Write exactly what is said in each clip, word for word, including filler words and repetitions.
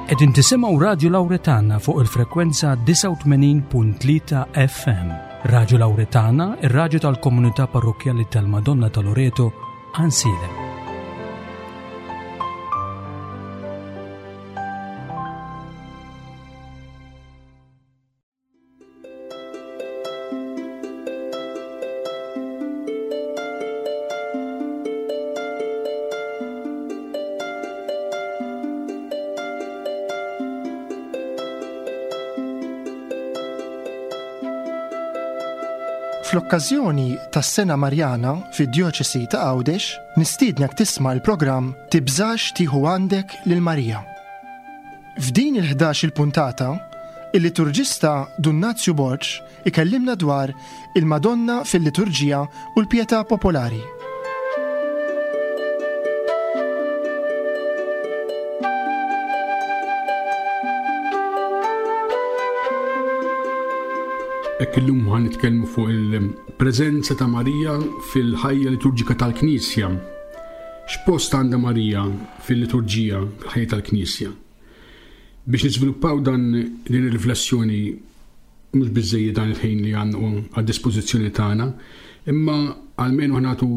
Qegħdin tisimgħu Radju Lawretana fuq il-frekwenza disgħa u tmenin punt tlieta F M. Radju Lawretana, ir-radju tal-Komunità Parrokkjali tal-Madonna ta' Loreto, Għajnsielem. Fl-okkażjoni tas-Sena Marjana fid-Djoċesi ta' Għawdex, nistiednek tisma' l-programm Tibżax tieħu għandek lil Marija. F'din il-ħdax il-puntata, il-liturġista Dun Nazju Borg ikellimna dwar il-Madonna fil-liturġija u l-pietà popolari. Hekk illum ħa nitkellmu fuq il-preżenza ta' Marija fil-ħajja liturġika tal-Knisja. X'post għandha Marija fil-liturġija, fil-ħajja tal-Knisja? Biex niżviluppaw dan din ir-riflessjoni mhux biżejjed dan il-ħin li għandu għad-dispożizzjoni tagħna, imma almenu nagħtu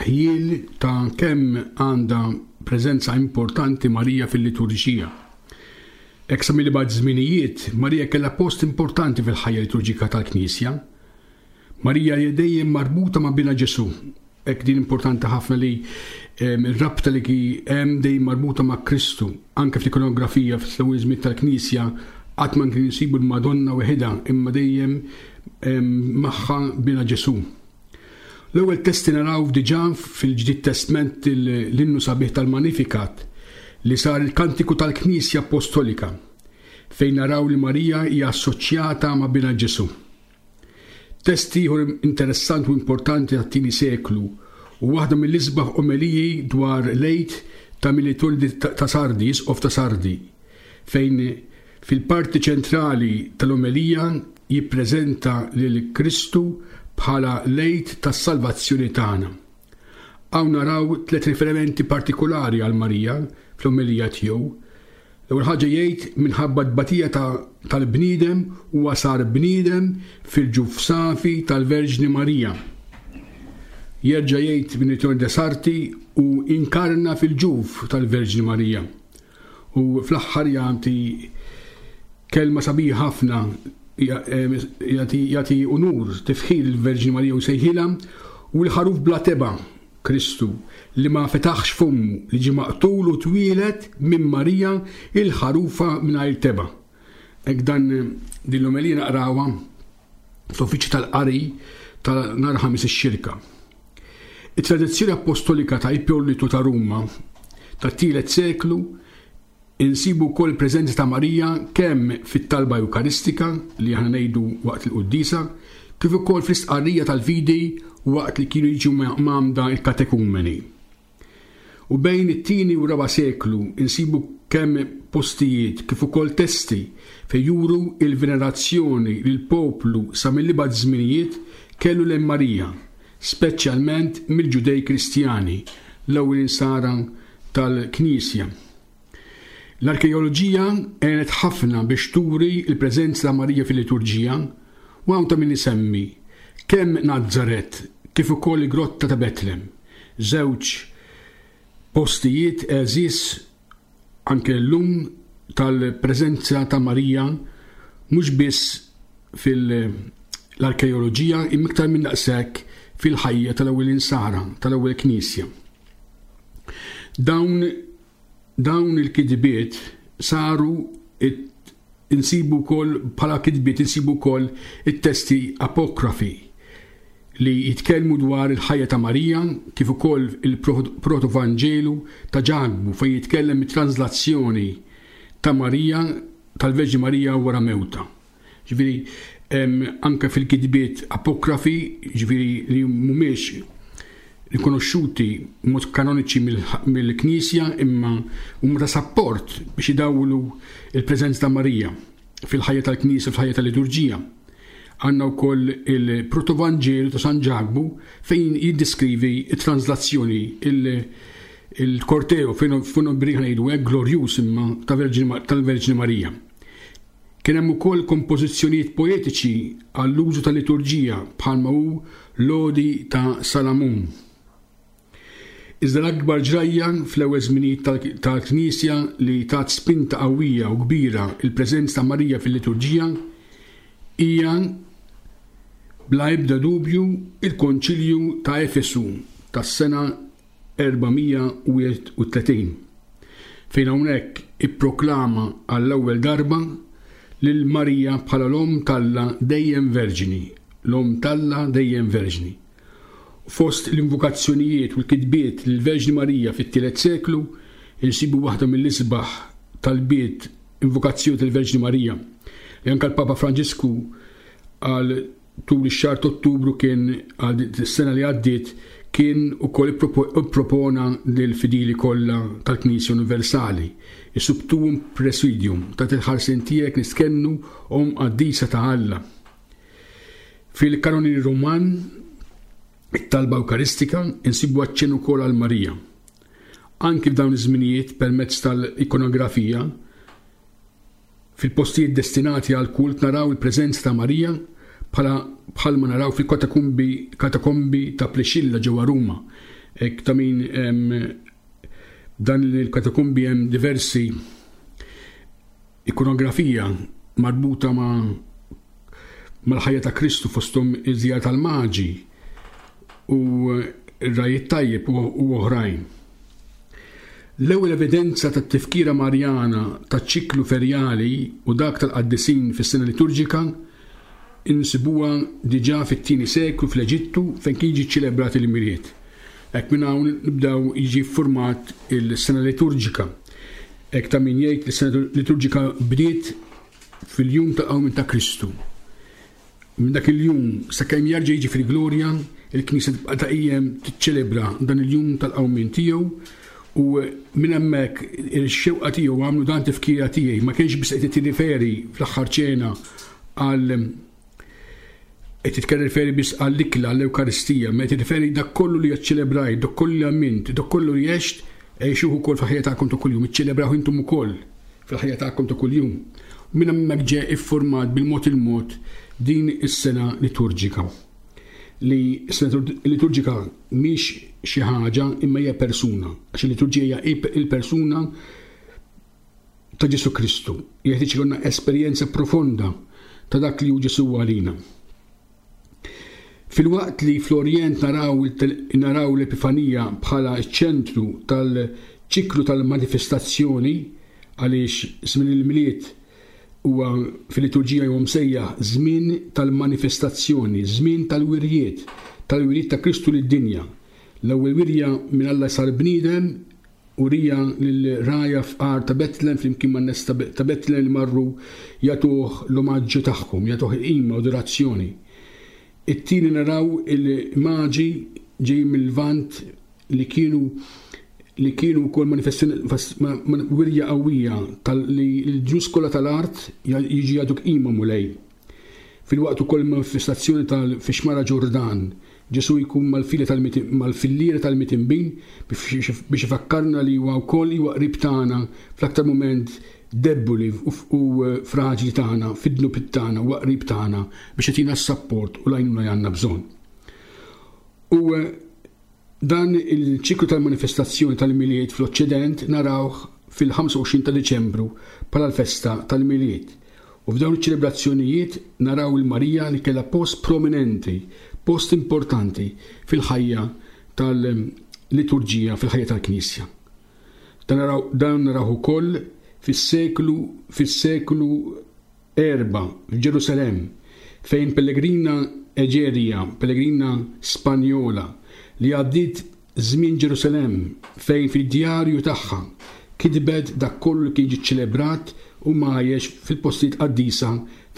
ħjiel ta' kemm għandha preżenza importanti Marija fil-liturġija. Hekk sa mill-ibgħad żminijiet, Marija kellha post importanti fil-ħajja liturġika tal-Knisja. Marija hija dejjem marbuta ma' binha Ġesù. Hekk din importanti ħafna li ir-rabta li hemm dejjem marbuta ma' Kristu. Anke fl-ikonografija fl-ewwel żmien tal-Knisja qatt ma kien insibu l-Madonna weħidha, imma dejjem magħha binha Ġesù. L-ewwel testi naraw diġà fil-Ġdid Testment, l-innu sabiħ tal-Magnificat li sar il-kantiku tal-Knisja Apostolika, fejn naraw li Marija hija assoċjata ma' binha Ġesù. Test ieħor interessanti u importanti tat-tieni seklu u waħda mill-isbaħ omeliji dwar l-Għid ta' Melitone ta' Sardi, Isqof ta' Sardi, fejn fil-parti ċentrali tal-omelija jippreżenta lil Kristu bħala l-Għid tas-salvazzjoni tagħna. Hawn naraw tliet riferimenti partikolari għal Marija fl-omelija tiegħu. L-ewwel ħaġa jgħid minħabba t-tbatija tal-bniedem huwa sar bniedem fil-ġuf safi tal-Verġni Marija. Jerġa' jgħid Melitone de Sardi u inkarna fil-ġuf tal-Verġni Marija. U fl-aħħar jagħti kelma sabiħa ħafna, jagħti, jagħti unur, tifħir il-Verġni Marija u sejħilha u l-ħaruf bla tebgħa Kristu li ma fetaħx fommu, li ġie maqtul u twieled minn Marija il-ħarufa mingħajr tebgħa. Hekk dan din l-omelija naqrawha fl-uffiċċju tal-qari ta' nhar Ħamis ix-Xirka. It-tradizzjoni apostolika ta' Ippolitu ta' Ruma tat-tielet seklu insibu wkoll preżenza ta' Marija kemm fit-talba Ewkaristika li aħna ngħidu waqt il-quddiesa, kif ukoll fl-istqarrija tal-fidi waqt li kienu jiġu mgħammda il-katekumeni. U bejn it-tieni u raba' seklu insibu kemm postijiet kif ukoll testi fejn juru il-venerazzjoni li l-poplu sa mill-ibgħad żminijiet kellu lejn Marija, speċjalment mill-Ġudej Kristjani, l-ewwel insara tal-Knisja. L-arkeoloġija għenet ħafna biex turi l-preżenza ta' Marija fil-liturġija, u hawn ta' min isemmi kemm Nazzaret kif ukoll il-Grotta ta' Betlem, żewġ postijiet għeżież anke llum tal-preżenza ta' Marija mhux biss fil-arkeoloġija imma iktar minn daqshekk fil-ħajja tal-ewwel insara, tal-ewwel knisja. Dawn, dawn il-kitbiet saru it, insibu wkoll bħala kitbiet insibu wkoll it-testi apokrafi li jitkellmu dwar il-ħajja ta' Marija kif ukoll il-Proto-Vanġelu ta' Ġakbu fejn jitkellem it-translazzjoni ta' Marija, tal-Verġni Marija wara mewta. Ġifieri, anke fil-kitbiet apokrafi, ġifieri li mhumiex rikonoxxuti mod kanoniċi mill-Knisja imma huma ta' sapport biex idawlu il-preżenza ta' Marija fil-ħajja tal-Knisja, fil-ħajja tal-liturġija. Għandna wkoll il-Proto-Vanġelu ta' San Ġakbu fejn jiddeskrivi it-translazzjoni, Il-korteo funebri ngħidu hekk glorjuż imma tal-Verġni Marija. Kien hemm ukoll kompożizzjonijiet poetiċi għall-użu tal-liturġija bħalma hu l-Odi ta' Salamun. Iżda l-akbar ġrajja fl-ewwel żminijiet tal-Knisja li tat spinta qawwija u kbira il-preżenza ta' Marija fil-liturġija hija bla ebda dubju il-Konċilju ta' Efesu tas-sena erba' mija u tletin, fejn hawnhekk ipproklama għall-ewwel darba lil Marija bħala l-Omm t'Alla dejjem Verġni, l-Omm t'Alla dejjem Verġni. Fost l-invokazzjonijiet u l-kitbiet lill-Verġni Marija fit-tielet seklu insibu waħda mill-isbaħ talbiet, invokazzjoni tal-Verġni Marija, li anke l-Papa Franġisku għal tul ix-xahar Ottubru kien għal sena li għaddiet kien ukoll ippropona lill-fidili kollha tal-Knisja Universali. Is-Sub tuum praesidium, taħt il-ħarsien tiegħek nistkennu, Omm qaddisa ta' Alla. Fil-kanoni Roman, it-talba Ewkaristika, insibu aċċenn ukoll għal Marija. Anki f'dawn iż-żminijiet, permezz tal-ikonografija, fil-postijiet destinati għal kult naraw il-preżenza ta' Marija, bħala bħalma naraw fil-katakombi katakombi ta' Priscilla ġewwa Ruma. Hekk ta' min dan il-katakombi hemm diversi ikonografija marbuta ma' mal-ħajja ta' Kristu, fosthom iż-żjara tal-Maġi u r-ragħaj tajjeb u oħrajn. L-ewwel evidenza tat-tifkira Marjana taċ-ċiklu ferjali u dak tal-qaddisin fis-sena liturġika insibuha diġà fit-tieni seklu fl-Eġittu, fejn kien jiġi ċelebrat il-Milied. Hekk minn hawn nibdew jiġi format il-sena liturġika. Hekk ta' min jgħid li s-sena liturġika bdiet fil-jum ta' qawmien ta' Kristu. Minn dak il-jum sakemm jerġa' jiġi fil-glorja, il-Knisja tibqa' dejjem tiċċelebra dan il-jum tal-qawmien tiegħu, u minn hemmhekk il-xewqa tiegħu għamlu dan tifkira tiegħi. Ma kienx biss qed tirriferi fl-aħħar ċena għal qed titkellem referi biss għall-ikla, għall-Ewkaristija, ma qed tirriferi dak kollu li ċċelebrajt, dak kollu li għamilt, dak kollu li għext, għixuh ukoll fil-ħajja tagħkom ta' kuljum, iċċelebraw intom ukoll fil-ħajja tagħkom ta' kuljum. U minn hemmhekk ġie iffurmat bil-mod il-mod din is-sena liturġika. Li s-sena liturġika mhix xi ħaġa imma hija persuna, għax il-liturġija hija il-persuna ta' Ġesu Kristu. Jeħtieġ ikollna esperjenza profonda ta' dak li hu Ġesu għalina. Filwaqt li fl-Orjent naraw naraw l-Epifanija bħala ċ-ċentru tal-ċiklu tal-manifestazzjoni, għaliex żmien il-Milied huwa fil-liturġija huwa msejjaħ żmien tal-manifestazzjoni, żmien tal-wirjiet, tal-wirjiet ta' Kristu lid-dinja. L-ewwel wirja minn Alla sar bniedem urija lil-rgħajja fqar ta' Betlem flimkien man-nies ta' Betlem li marru jagħtuh l-omaġġu tagħhom, jagħtuh qima u adorazzjoni. It-tieni naraw il-maġi ġej mill-Lvant li kienu li kienu wkoll manifestazzjoni, wirja qawwija li l-ġnus kollha tal-art jiġi jagħtuk qima, Mulej. Filwaqt ukoll manifestazzjoni tal-fix-xmara Ġordan, Ġesu jkun mal-filliera tal-midinbin biex ifakkarna li huwa wkoll huwa qrib tagħna fl-aktar mument debboli u fraġli tagħna, fid-dnub tagħna, huwa qrib tagħna biex jagħtina s-sapport u l-għajnuna li għandna bżonn. U dan il-ċiklu tal-manifestazzjoni tal-Milied fl-Oċċident narawh fil-ħamsa u għoxrin ta' Diċembru bħala l-festa tal-Milied. U f'dawn iċ-ċelebrazzjonijiet naraw il-Marija li kellha post prominenti, post importanti fil-ħajja tal-liturġija, fil-ħajja tal-Knisja. Dan naraw, dan naraw ukoll fis-seklu fis-seklu erba' f'Ġerusalemm, fejn pellegrina Eġerija, pellegrina Spanjola li għaddiet żmien Ġerusalemm, fejn fid-djarju tagħha kitbet dak kollu li kien ġie ċelebrat u mgħajjex fil-postijiet qaddisa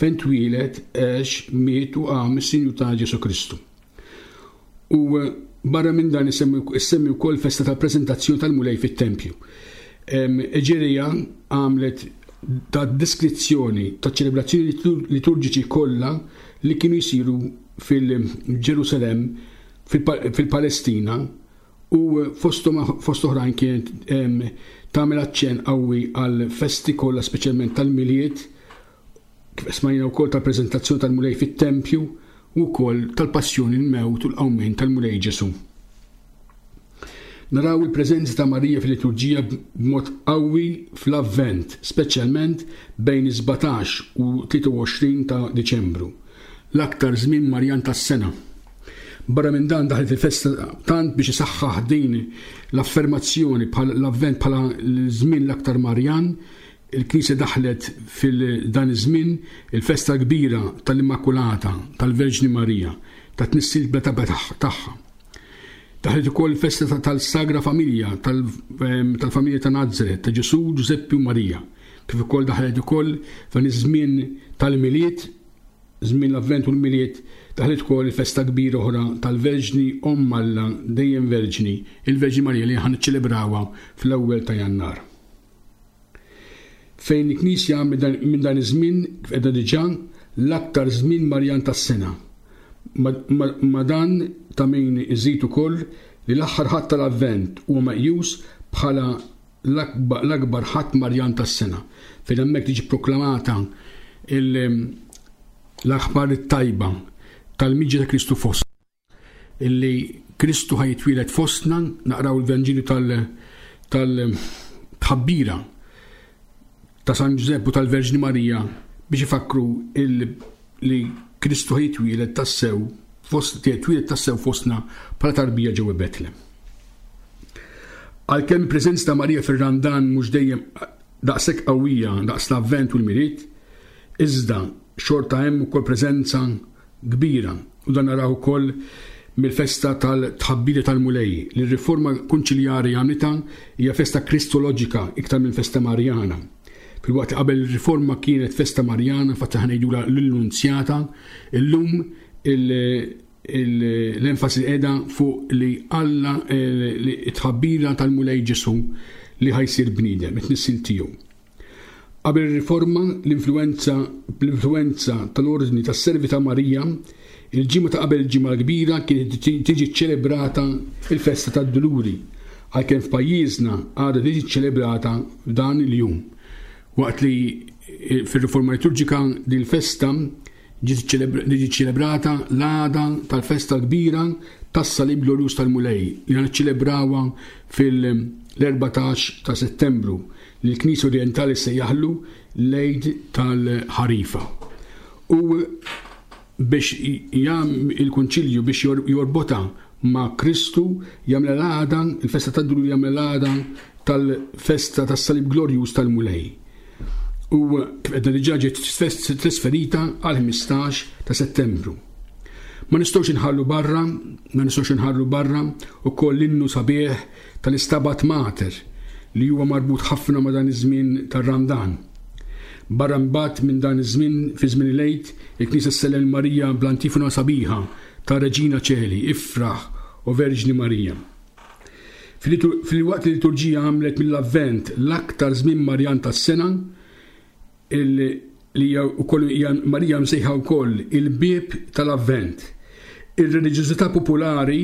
fejn twieled, għex, miet u qam is-Sinjur ta' Ġesu Kristu. U barra minn dan issemmi wkoll festa tal-preżentazzjoni tal-Mulej fit-tempju. Eġerija għamlet ta' deskrizzjoni ta' ċelebrazzjoni liturġiċi kollha li kienu jsiru fil-Ġerusalemm, fil-Palestina, U fost oħrajn kienet tagħmel aċċenn qawwi għal festi kollha, speċjalment tal-Milied, kif smajna wkoll tal-preżentazzjoni tal-Mulej fit-tempju u wkoll tal-passjoni, l-mewt u l-qawmien tal-Mulej Ġesu. Naraw il-preżenza ta' Marija fil-liturġija b'mod qawwi fl-Avvent, speċjalment bejn is-sbatax u tlieta u għoxrin ta' Diċembru, l-aktar żmien Marjan tas-sena. Barra minn dan daħlet il-festa tant biex isaħħaħ din l-affermazzjoni bħala l-Avvent bħala l-żmien l-aktar Marjan. Il-Knisja daħlet fil-dan iż-żmien il-festa kbira tal-Immakulata tal-Verġni Marija, ta' tnissil bla taba tagħha. Daħlet ukoll il-festa ta-, tal-Sagra Familja, tal-, ehm, tal-familja ta' Nazaret, ta' Ġesu, Ġużeppi u Marija. Kif ukoll daħlet ukoll f'dan iż-żmien tal-Milied, żmien l-Avvent u l-Milied, daħlet ukoll il-festa kbira oħra tal-Verġni Omm Alla, dejjem Verġni, il-Verġni Marija li ħan niċċelebrawha fl-ewwel ta' Jannar. Fejn il-Knisja minn dan iż-żmien kif qiegħda diġà l-aktar żmien Marjan tas-sena. Ma, ma, ma dan ta' min iżid ukoll li l-aħħar ħadd tal-Avvent huwa meqjus bħala l-akba-, l-akbar ħadd Marjan tas-sena, fejn hemmhekk tiġi proklamata il-, l-aħbar it-tajba tal-miġja ta' Kristu fostna, illi Kristu ħajtwieled fostna. Naqraw il-Vanġelu tal-, tal-tħabbira ta' San Ġużepp u tal-Verġni Marija biex ifakru il-, li Kristu ħajtwieled tassew fost-, twieled tassew fostna bħala tarbija ġewwa Betlem. Għalkemm il-preżenza ta' Marija fir-Randan mhux dejjem daqshekk qawwija daqs l-Avvent u l-Milied, iżda xorta hemm ukoll preżenza kbira, u dan naraw ukoll mill-festa tal-tħabbira tal-Mulej, li r-riforma konċiljari għamlitha hija festa kristoloġika iktar minn festa Marjana. Filwaqt li qabel ir-riforma kienet festa Marjana, fatta ħa ngħidulha l-Annunzjata, illum il-, il-, l-enfasi qiegħda fuq li Alla, eh, li t-tħabbira tal-Mulej Ġesu li ħajsir bniedem, it-tnissil tiegħu. Qabel ir-riforma, l-influenza, l-influenza tal-ordni tas-servi ta' Marija, il-ġimgħa ta' qabel il-ġimgħa l-kbira kienet tiġi ċelebrata il-festa tad-Duluri, għalkemm f'pajjiżna għadha tiġi ċelebrata f'dan il-jum. Waqt li fir-riforma liturġika din il-festa ġiet ċelebra-, ġiet ċelebrata l-għada tal-festa kbira tas-Salib Glorjuż tal-Mulej, li niċċelebrawha fil-erbatax ta' Settembru, li l-Knisja Orientali sejjaħlu l-Għid tal-Ħarifa. U biex jam il-Konċilju biex jor-, jorbota ma' Kristu, jagħmel l-għada, il-festa tad-Duluri jagħmel l-għada tal-festa tas-Salib Glorjuż tal-Mulej. U kif għedna diġà ġiet trasferita għal ħmistax ta' Settembru. Ma nistgħux inħallu barra, ma nistgħux inħallu barra ukoll l-innu sabiħ tal-Istabat Mater li huwa marbut ħafna ma' dan iż-żmien tar-Randan. Barra mbagħad minn dan iż-żmien fi żmien il-Għid, il-Knisja ssellem Marija bl-antifona sabiħa ta' Reġina Ċeli, Ifraħ o Verġni Marija. Fil-litur-, fil-waqt li l-liturġija għamlet mill-Avvent l-aktar żmien Marjan tas-sena, il-, li hija wkoll hija Marija msejħa wkoll il-bieb tal-Avvent. Ir-reliġjożità popolari,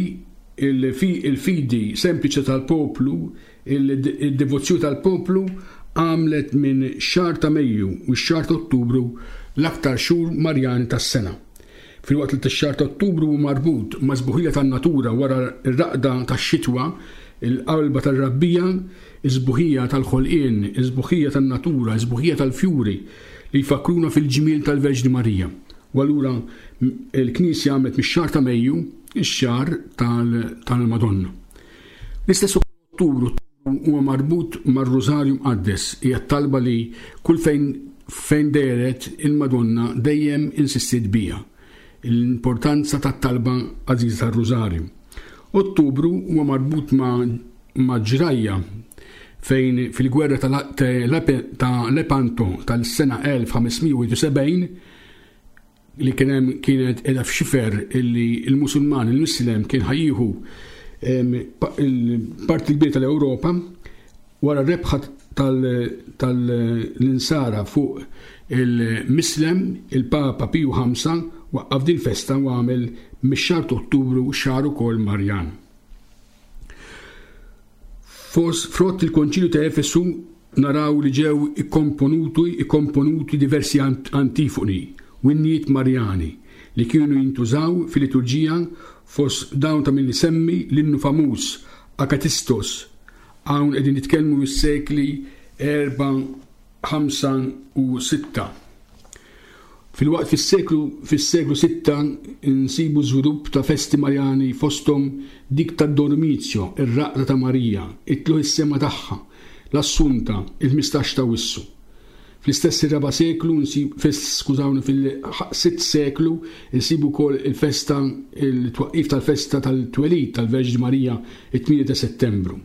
il-fi-, il-fidi sempliċi tal-poplu, il-, il-devozzjoni tal-poplu għamlet minn xahar ta' Mejju u x-xahar ta' Ottubru l-aktar xhur Marjan tas-sena. Filwaqt li x-xahar ta' Ottubru hu marbut ma' sbuħija tan-natura wara r-raqda tax-xitwa, il-qalba tar-rabbija, iż-sbuħija tal-ħolqien, iż-sbuħija tan-natura, iż-sbuħija tal-fjuri li jfakruna fil-ġmiel tal-Verġni Marija. U allura l-Knisja għamlet mix-xahar ta' Mejju ix-xahar tal-, tal-Madonna. L-istess Ottubru huwa marbut mar-Rużarju Mqaddes, hija talba li kull fejn, fejn dehret il-Madonna dejjem insistiet biha, l-importanza tat-talba għażiża tar-Rużarju. Ottubru huwa marbut ma', ma' ġrajja fejn fil-gwerra ta' Lepanto tal-sena elf ħamesmija u sebgħin li kien hemm kienet qiegħda f'xifer illi il-Musulman, il-Mislem kien ħajjieħu, em, pa-, il-parti kbira tal-Ewropa wara r-rebħa tal-, tal-insara fuq il-Mislem, il-Papa Piju ħamsa waqqaf din festa u għamel mix-xahar ta' Ottubru xahar ukoll Marjan. Frott il-Konċilju ta' Efesu naraw li ġew ikkomponuti ikkomponuti diversi antifoni u innijiet Marjani li kienu jintużaw fil-liturġija, fost dawn ta' min isemmi l-innu famuż Akatistos. Hawn qegħdin nitkellmu mis-sekli erba', ħamsa u sitta. Filwaqt fis-seklu fis-seklu sitta nsibu żvilupp ta' festi Marjani, fosthom dik tad-Dormizio, ir-raqda ta' Marija, it-tlugħ is-sema tagħha, l-Assunta, il-ħmistax ta' Wissu. Fl-istess ir-raba' seklu, skużawni, fil-sitt seklu nsibu wkoll il-festa, il-twaqqif tal-festa tal-twelid tal-Verġni Marija, it-tmienja ta' Settembru.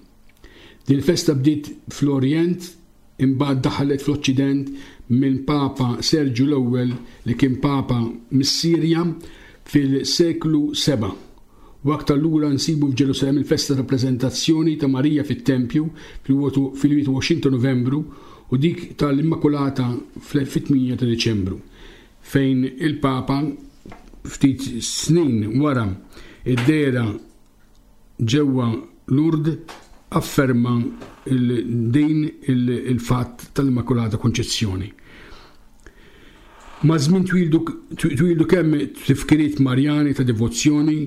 Din il-festa bdiet fl-Orjent, imbagħad daħlet fl-Oċċident minn Papa Serġju l-Ewwel li kien Papa mis-Sirja fil-seklu seba'. U aktar lura nsibu f'Ġerusalemm il-festa ta' preżentazzjoni ta' Marija fit-Tempju fil-wieħed u għoxrin ta' Novembru u dik tal-Immakulata fit-tmienja ta' Diċembru, fejn il-Papa ftit snin wara id-dehra ġewwa Lourdes afferma din il-fatt tal-Immakulata Konċezzjoni. Ma' żmien twildu kemm tifkiriet Marjani ta' devozzjoni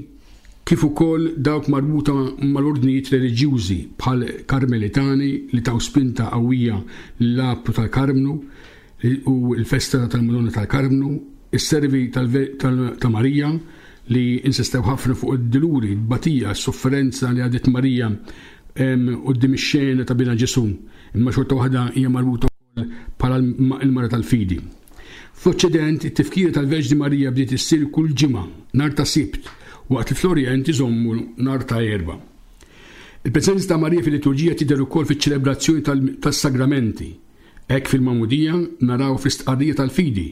kif ukoll dawk marbuta mal-ordnijiet reliġjużi bħal Karmelitani li taw spinta qawwija lill-Appru tal-Karmnu u l-festa tal-Madonna tal-Karmnu, is-servi ta' Marija li insistew ħafna fuq id-duluri, d-batija, s-sofferenza li għadet Marija quddiem ix-xena ta' bina Ġesu, imma xorta waħda hija marbuta wkoll bħala l-mara tal-fidi. Fl-Oċċident, it-tifkira tal-Verġni Marija bdiet issir kull ġimgħa, nhar ta' Sibt, waqt li fl-Orjent iżommu nhar ta' Erbgħa. Il-preżenza ta' Marija fil-liturġija tidher ukoll fiċ-ċelebrazzjoni tas-sagramenti. Hekk fil-Magħmudija naraw fl-istqarrija tal-fidi.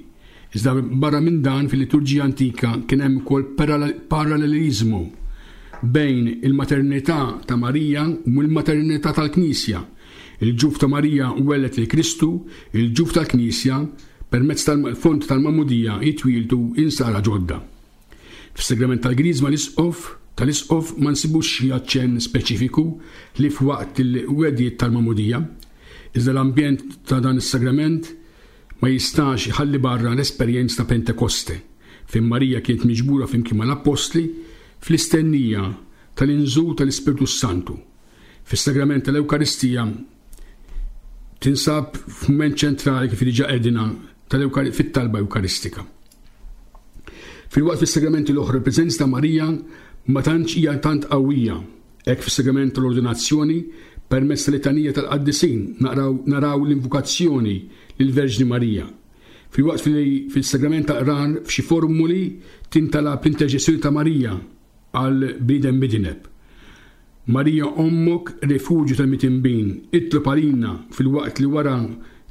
Iżda barra minn dan fil-liturġija antika kien hemm ukoll paralleliżmu bejn il-maternità ta' Marija u l-maternità tal-Knisja. Il-ġuf ta' Marija wellet lil Kristu, il-ġuf tal-Knisja permezz tal-font tal-Magħmudija jitwieldu insara ġodda. Fis-sagrament tal-Griżma l-Isqof tal-Isqof ma nsibux xi aċċenn speċifiku li f'waqt il-wedjiet tal-Magħmudija, iżda l-ambjent ta' dan is-sagrament ma jistax iħalli barra l-esperjenza ta' Pentekoste, fejn Marija kienet miġbura flimkien mal-Appostli fl-istennija tal-inżul tal-Ispirtu Santu. Fis-sagrament tal-Ewkaristija tinsab f'mument ċentrali kif diġà qegħdina fit-talba Ewkaristika. Filwaqt fis-sagramenti l-oħra l-preżenza ta' Marija ma tantx hija tant qawwija. Hekk fis-sagrament tal-ordinazzjoni permezz tal-litanija tal-qaddisin naraw l-invokazzjoni lill-Verġni Marija. Filwaqt fil-sagrament tal-qrar f'xi formuli tintalab l-interċessjoni ta' Marija għal bniedem midineb. Marija ommok, rifuġju tal-mitinbin, itlob għalina, filwaqt li wara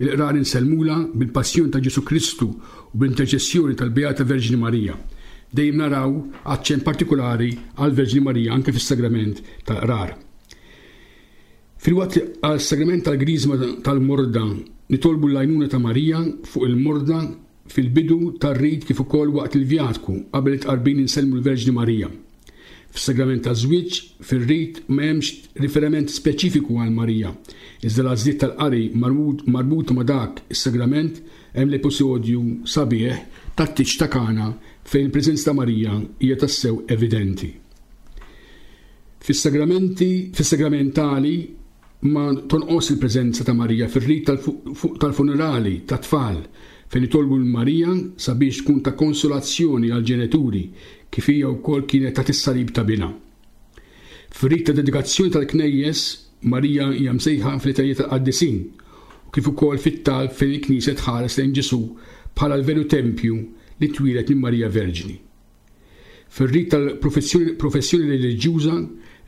il-qrar insellmula bil-passjoni ta' Ġesu Kristu u bl-interċessjoni tal-Beata Verġni Marija. Dejjem naraw aċċent partikolari għal Verġni Marija anke fis-sagrament tal-qrar. Filwaqt li għal-sagrament tal-Griżma tal-Morda nitolbu l-għajnuna ta' Marija fuq il-morda fil-bidu tar-rit kif ukoll waqt il-vjatku qabel it-tqarbin insellmu l-Verġni Marija. Fis-sagrament taż-żwieġ fir-rit ma hemmx riferiment speċifiku għal Marija, iżda l-għażliet tal-qari marbuta ma' dak is-sagrament hemm l-episodju sabiħ tat-tieġ ta' Kana fejn il-preżenza ta' Marija hija tassew evidenti. Fis-sagramenti, fis-sagramentali ma tonqos il-preżenza ta' Marija fir-rit tal-funerali tat-tfal fejn itolbu l-Marija sabiex tkun ta' konsolazzjoni għall-ġenituri kif hija wkoll kienet ta' is-salib ta' binha. Fir-rit ta' dedikazzjoni tal-Knejjes Marija hija msejħa fl-litanija tal-qaddisin u kif ukoll fit-talb fejn il-Knisja tħares lejn Ġesù bħala l-veru tempju li twieled minn Marija Verġni. Fir-rit tal-professjoni reliġjuża,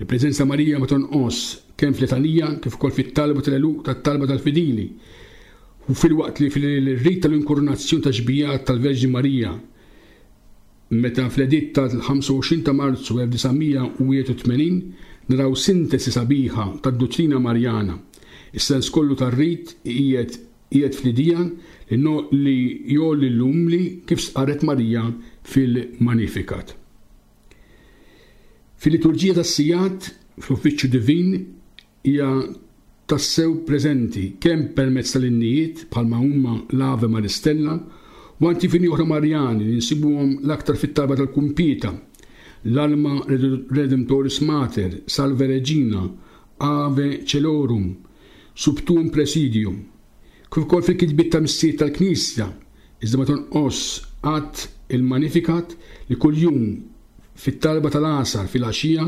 il-preżenza Marija ma tonqos kemm fl-litanija kif ukoll fit-talba tal-għeluq tat-talba tal-fidili. U filwaqt li fil-rit tal-inkurunazzjoni ta' xbijat tal-Verġni Marija, meta fl-editt tal-ħamsa u għoxrin ta' Marzu elf disa' mija u wieħed u tmenin naraw sintesi sabiħa tad-dottrina Marjana. Is-sens kollu tar-rit qiegħed fl-idea li no-, li jgħolli l-umli kif stqarret Marija fil-Magnificat. Fil-liturġija tas-sigħat, fl-uffiċċju divin, hija tassew preżenti kemm permezz tal-innijiet bħalma huma l-Ave Maris Stella u antifini oħra Marjani li nsibuhom l-aktar fit-talba tal-Kumpieta, l-Alma Redemptoris Mater, Salve Regina, Ave Celorum, Subtum Presidium, kif ukoll fil-kitbiet ta' missier tal-Knisja, iżda ma tonqos qatt il-Magnificat li kuljum fit-talba tal-għasar fil-għaxija,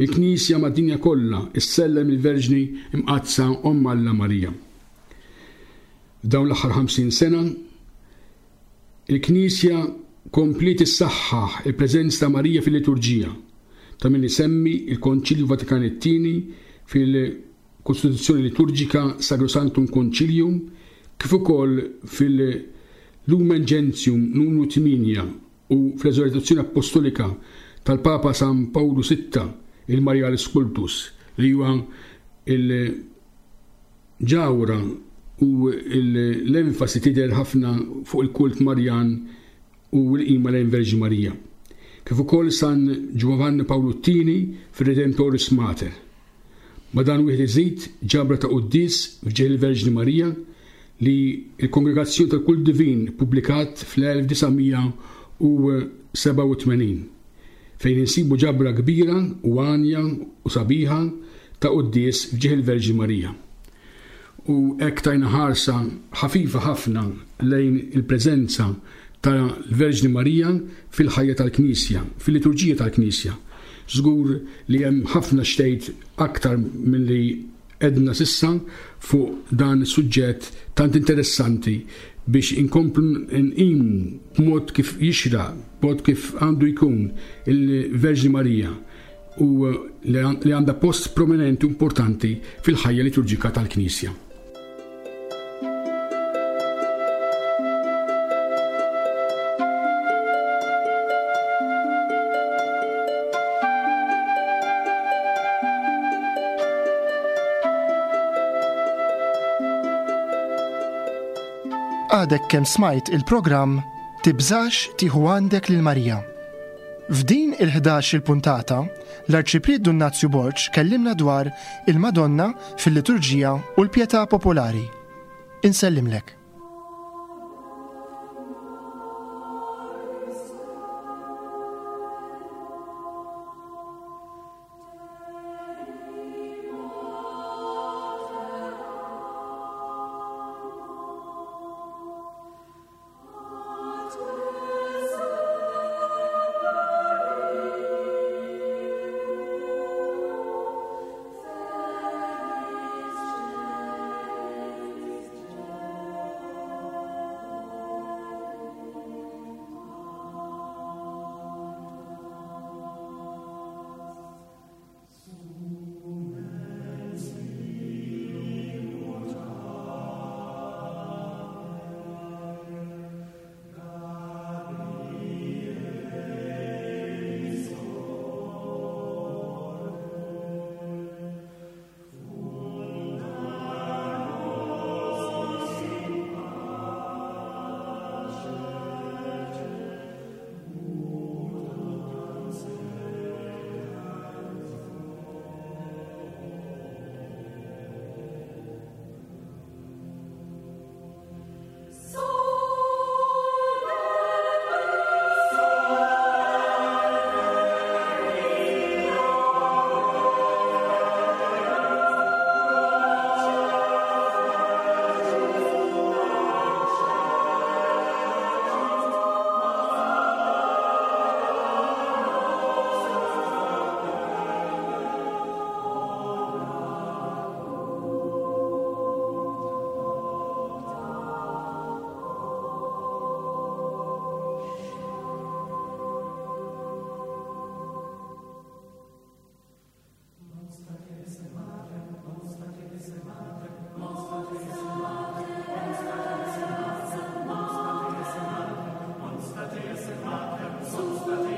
il-Knisja mad-dinja kollha issellem il-Verġni Imqaddsa Omm Alla Marija. F'dawn l-aħħar ħamsin sena, il-Knisja kompliet issaħħaħ il-preżenza ta' Marija fil-liturġija, ta' min isemmi il-Konċilju Vatikan it-tieni fil-Kostituzzjoni Liturġika Sacrosanctum Concilium, kif ukoll fil-Lumen Gentium numru tmienja u fl-Eżortazzjoni Apostolika tal-Papa San Pawlu sitta, il-Marialis Cultus, li huwa il-ġawra u l-enfasi tidher ħafna fuq il-kult Marjan u l-qima lejn Verġni Marija. Kif ukoll San Giovanni Paolo it-tieni fir-Redemptoris Mater. Ma dan wieħed iżid ġabra ta' quddies f'ġieħ il-Verġni Marija li l-Kongregazzjoni tal-Kult Divin publikat fl-elf disa' mija u sebgħa u tmenin, fejn insibu ġabra kbira u għanja u sabiħa ta' quddies f'ġieħ il-Verġni Marija. U hekk tajna ħarsa ħafifa ħafna lejn il-preżenza tal-Verġni Marija fil-ħajja tal-Knisja, fil-liturġija tal-Knisja. Żgur li hemm ħafna xtejt aktar milli edna sissa fuq dan is-suġġett tant interessanti biex inkomplu nqimu b'mod kif jixraq, b'mod kif għandu jkun il-Verġni Marija u li għandha post prominenti u importanti fil-ħajja liturġika tal-Knisja. Għadek kemm smajt il-programm Tibżax tieħu għandek lil Marija. F'din il-ħdax il-puntata, l-Arċipriet Dun Nazju Borg kellimna dwar il-Madonna fil-liturġija u l-pjetà popolari. Insellimlek. Mater,